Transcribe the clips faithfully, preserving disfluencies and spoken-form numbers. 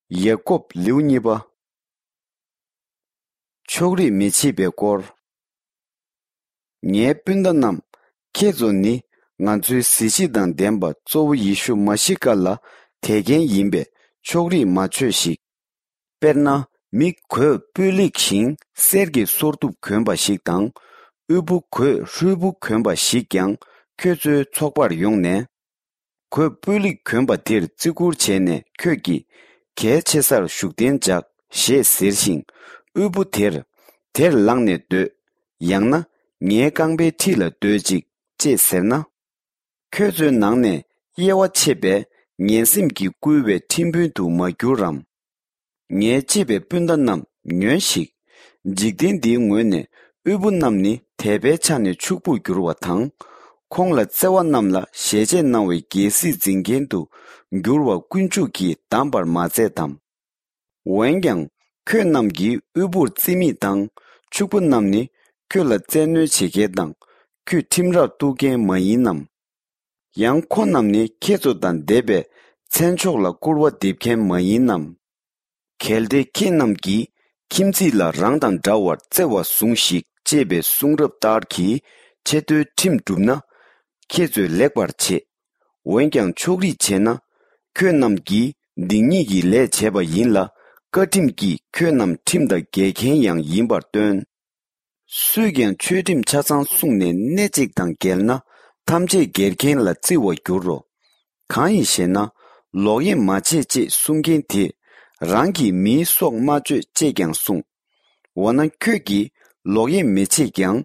ཡ་ཀོབ་ལེའུ་གཉིས་པ། ཕྱོགས་རིས་མི་བྱེད་པའི་སྐོར། ངའི་སྤུན་ཟླ་རྣམས། ཁྱེད་ཚོ་ནི་ང་ཚོའི་གཟི་བརྗིད་དང་ལྡན་པ་གཙོ་བོ་ཡེ་ཤུ་མ་ཤི་ཀ་ལ་དད་མཁན་ཡིན་པས་ཕྱོགས་རིས་མ་བྱོས་ཤིག། དཔེར་ན། མི་གོས་སྤུས་ལེགས་ཤིང་གསེར་གྱི་སོར་གདུབ་གྱོན་པ་ཞིག་དང་། དབུལ་པོ་གོས་ཧྲུལ་པོ་གྱོན་པ་ཞིག་ཀྱང་ཁྱོད་ཚོའི་ཚོགས་པར་ཡོང་ནས། གོས་སྤུས་ལེགས་གྱོན་པ་དེར་བརྩི་བཀུར་བྱས་ནས་ཁྱོད་ཀྱིས་གལ་ཆེ་སར་བཞུགས་གདན་འཇགས་ཞེས་ཟེར་ཞིང་། དབུལ་པོ་དེར། དེར་ལངས་ནས་སྡོད། ཡང་ན་ངའི་རྐང་པའི་འཁྲིས་ལ་སྡོད་ཅིག་ཅེས་ཟེར་ན། ཁྱོད་ཚོའི་ནང་ནས་དབྱེ་བ་ཕྱེ་བས་ངན་སེམས་ཀྱིས་བསྐུལ་བའི་ཁྲིམས་དཔོན་དུ་མ་གྱུར་རམ། ངའི་གཅེས་པའི་སྤུན་ཟླ་རྣམས་ཉོན་ཞིག། འཇིག་རྟེན་འདིའི་ངོས་ནས་དབུལ་པོ་རྣམས་ནི་དད་པའི་ཆ་ནས་ཕྱུག་པོར་འགྱུར་བ་དང་། ཁོང་ལ་བརྩེ་བ་རྣམས་ལ་ཞལ་ཆད་གནང་བའི་རྒྱལ་སྲིད་འཛིན་མཁན་དུ་འགྱུར་བ་དཀོན་མཆོག་གིས་བདམས་པར་མ་མཛད་དམ། འོན་ཀྱང་ཁྱོད་རྣམས་ཀྱིས་དབུལ་པོར་བརྩི་མེད་དང་། ཕྱུག་པོ་རྣམས་ནི་ཁྱོད་ལ་བཙན་གནོན་བྱེད་མཁན་དང་། ཁྱོད་ཁྲིམས་རར་གཏུག་མཁན་མ་ཡིན་ནམ། ཡང་ཁོ་རྣམས་ནི་ཁྱེད་ཚོ་དང་སྡེ་པའི་མཚན་མཆོག་ལ་སྐུར་བ་འདེབས་མཁན་མ་ཡིན་ནམ། གལ་ཏེ་ཁྱེད་རྣམས་ཀྱིས་ཁྱིམ་མཚེས་ལ་རང་དང་འདྲ་བར་བརྩེ་བ་ཟུངས་ཤིག་ཅེས་པའི་གསུང་རབ་ལྟར་གྱི་ཆེ་མཐོའི་ཁྲིམས་བསྒྲུབས་ན། ཁྱེད་ཚོས་ལེགས་པར་བྱེད། འོན་ཀྱང་ཕྱོགས་རིས་བྱས་ན། ཁྱོད་རྣམས་ཀྱིས་སྡིག་ཉེས་ཀྱི་ལས་བྱས་པ་ཡིན་ལ། བཀའ་ཁྲིམས་ཀྱིས་ཁྱོད་རྣམས་ཁྲིམས་དང་འགལ་མཁན་ཡང་ཡིན་པར་སྟོན། སུས་ཀྱང་ཆོས་ཁྲིམས་ཆ་ཚང་བསྲུངས་ནས་སྣེ་གཅིག་དང་འགལ་ན། ཐམས་ཅད་འགལ་མཁན་ལ་བརྩི་བར་འགྱུར་རོ། གང་ཡིན་ཞེ་ན། ལོག་གཡེམ་མ་བྱེད་ཅེས་གསུང་མཁན་དེས་རང་གིས་མིའི་སྲོག་མ་གཅོད་ཅེས་ཀྱང་གསུངས། འོ་ན་ཁྱོད་ཀྱིས་ལོག་གཡེམ་མི་བྱེད་ཀྱང་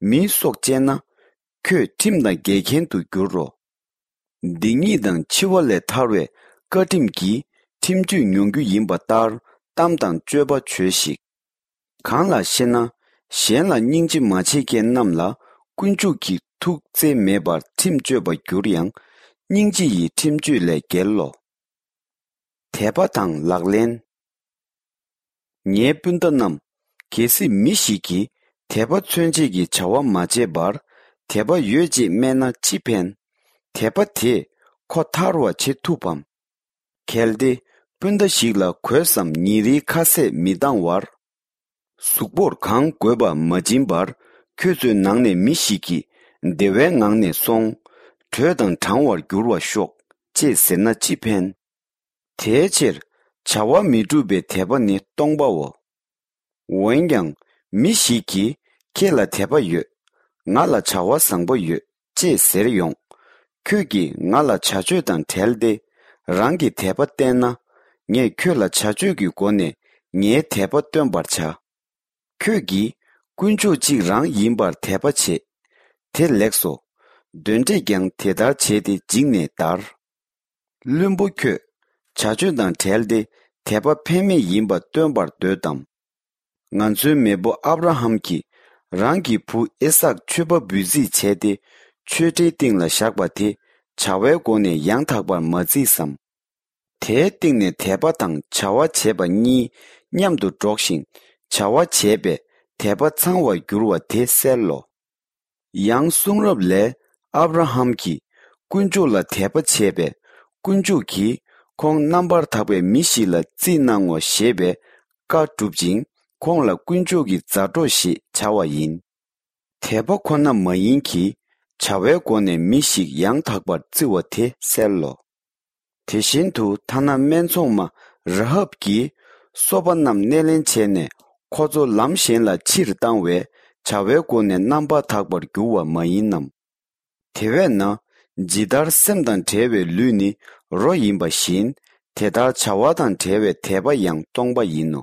མིའི་སྲོག་བཅད་ན། ཁྱོད་ཁྲིམས་དང་འགལ་མཁན་དུ་འགྱུར་རོ། སྡིག་ཉེས་དང་འཆི་བ་ལས་ཐར་བའི་བཀའ་ཁྲིམས་ཀྱིས་ཁྲིམས་གཅོད་མྱོང་རྒྱུ་ཡིན་པ་ལྟར་གཏམ་དང་སྤྱོད་པ་བྱོས་ཤིག། གང་ལགས་ཤེ་ན། གཞན་ལ་སྙིང་རྗེ་མ་བྱེད་མཁན་རྣམས་ལ་དཀོན་མཆོག་གིས་ཐུགས་བརྩེ་མེད་པར་ཁྲིམས་གཅོད་པར་འགྱུར་ཡང་། སྙིང་རྗེ་ཡི་ཁྲིམས་གཅོད་ལས་རྒྱལ་ལོ། དད་པ་དང་ལག་ལེན། ངའི་སྤུན་ཟླ་རྣམས། གལ་སྲིད་མི་ཞིག་གིས་དད་པ་མཚོན་བྱེད་ཀྱི་བྱ་བ་མ་བྱས་པར་དད་པ་ཡོད་ཅེས་སྨྲས་ན་ཅི་ཕན། དད་པ་དེས་ཁོ་ཐར་བར་བྱེད་ཐུབ་བམ། གལ་ཏེ་སྤུན་ཟླ་ཞིག་ལ་གོས་སམ་ཉིན་རེའི་ཁ་ཟས་མི་འདང་བར། གཟུགས་པོར་གང་དགོས་པ་མ་སྦྱིན་པར་ཁྱོད་ཚོའི་ནང་ནས་མི་ཞིག་གིས་བདེ་བའི་ངང་ནས་སོང་། དྲོད་དང་གྲང་བར་འགྱུར་བར་ཤོག་ཅེས་ཟེར་ན་ཅི་ཕན། དེའི་ཕྱིར་བྱ་བ་མི་འགྲུབ་པའི་དད་པ་ནི་སྟོང་པའོ། འོན་ཀྱང་མི་ཞིག་གིས་ཁྱེད་ལ་དད་པ་ཡོད། ང་ལ་བྱ་བ་བཟང་པོ་ཡོད་ཅེས་ཟེར་ཡོང་། ཁྱོད་ཀྱིས་ང་ལ་བྱ་སྤྱོད་དང་བྲལ་ཏེ་རང་གི་དད་པ་བསྟན་ན། ངས་ཁྱོད་ལ་བྱ་སྤྱོད་ཀྱི་སྒོ་ནས་ངའི་དད་པ་སྟོན་པར་བྱ། ཁྱོད་ཀྱིས་དཀོན་མཆོག་གཅིག་རང་ཡིན་པར་དད་པ་བྱེད། དེ་ལེགས་སོ། གདོན་འདྲེས་ཀྱང་དེ་ལྟར་བྱས་ཏེ་འཇིགས་ནས་འདར། བླུན་པོ་ཁྱོད། བྱ་སྤྱོད་དང་བྲལ་ཏེ་དད་པ་ཕན་མེད་ཡིན་པ་སྟོན་པར་འདོད་དམ། ང་ཚོའི་མེས་པོ་ཨབ་ར་ཧམ་གྱིས་རང་གི་བུ་ཨི་སཱག་མཆོད་པ་འབུལ་རྩིས་བྱས་ཏེ་མཆོད་ཁྲིའི་སྟེང་ལ་བཞག་པ་དེ་བྱ་བའི་སྒོ་ནས་ཡང་དག་པར་མ་བརྩིས་སམ། དེའི་སྟེང་ནས་དད་པ་དང་བྱ་བ་བྱས་པ་གཉིས་མཉམ་དུ་འགྲོགས་ཤིང་བྱ་བ་བྱས་པས་དད་པ་ཚང་བར་འགྱུར་བ་དེ་གསལ་ལོ། ཡང་གསུང་རབ་ལས་ཨབ་ར་ཧམ་གྱིས་དཀོན་མཆོག་ལ་དད་པ་བྱས་པས་དཀོན་མཆོག་གིས་ཁོང་རྣམ་པར་དག་པའི་མི་ཞིག་ལ་རྩིས་གནང་ངོ་ཞེས་པའི་བཀའ་བསྒྲུབ་ཅིང་ཁོང་ལ་དཀོན་མཆོག་གི་མཛའ་གྲོགས་ཞེས་བྱ་བ་ཡིན། དད་པ་ཁོ་ན་མ་ཡིན་གྱི་བྱ་བའི་སྒོ་ནས་མི་ཞིག་ཡང་དག་པར་བརྩི་བ་དེ་གསལ་ལོ། དེ་བཞིན་དུ་ཐ་ན་སྨད་འཚོང་མ་ར་ཧབ་ཀྱིས་སོ་པ་རྣམས་སྣེ་ལེན་བྱས་ནས་ཁོ་ཚོ་ལམ་གཞན་ལ་ཕྱིར་བཏང་བས་བྱ་བའི་སྒོ་ནས་རྣམ་པར་དག་པར་འགྱུར་བ་མ་ཡིན་ནམ། དེ་བས་ན་ཇི་ལྟར་སེམས་དང་བྲལ་བའི་ལུས་ནི་རོ་ཡིན་པ་བཞིན་དེ་ལྟར་བྱ་བ་དང་བྲལ་བའི་དད་པ་ཡང་སྟོང་པ་ཡིན་ནོ།